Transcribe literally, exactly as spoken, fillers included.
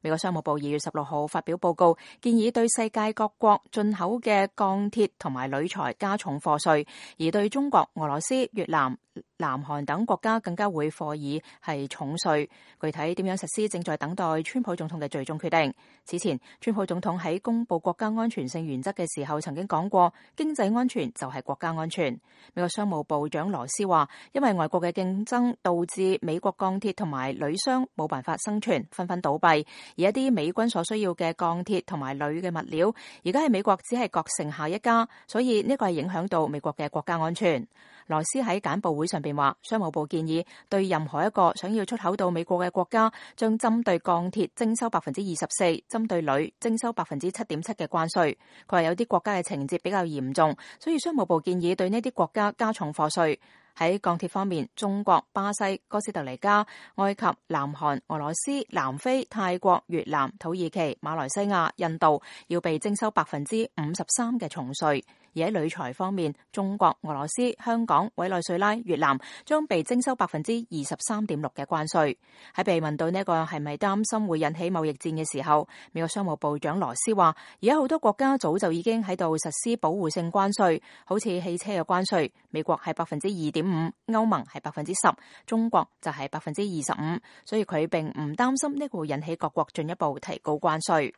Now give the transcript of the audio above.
美國商務部二月十六號發表報告，建議對世界各國進口嘅鋼鐵同埋鋁材加重課稅，而對中國、俄羅斯、越南、南韓等國家更加會課以係重稅。具體點樣實施，正在等待川普總統嘅最終決定。此前，川普總統喺公布國家安全性原則嘅時候，曾經講過，經濟安全就係國家安全。美國商務部長羅斯話，因為外國嘅競爭導致美國鋼鐵同埋鋁商冇辦法生存，紛紛倒閉。而一啲美軍所需要嘅鋼鐵同埋鋁嘅物料，而家喺美國只係各剩下一家，所以呢個係影響到美國嘅國家安全。羅斯喺簡報會上邊話，商務部建議對任何一個想要出口到美國嘅國家，將針對鋼鐵徵收百分之二十四，針對鋁徵收百分之七點七嘅關稅。佢話有啲國家嘅情節比較嚴重，所以商務部建議對呢啲國家加重課稅。喺鋼鐵方面，中國、巴西、哥斯達黎加、埃及、南韓、俄羅斯、南非、泰國、越南、土耳其、馬來西亞、印度要被徵收百分之五十三嘅重稅。而喺鋁材方面，中國、俄羅斯、香港、委內瑞拉、越南將被徵收百分之二十三點六嘅關稅。喺被問到呢個係咪擔心會引起貿易戰嘅時候，美國商務部長羅斯話，而家好多國家早就已經喺度實施保護性關稅，好似汽車嘅關稅，美國係百分之二點五，歐盟係百分之十，中國就係百分之二十五，所以佢並唔擔心呢個會引起各國進一步提高關稅。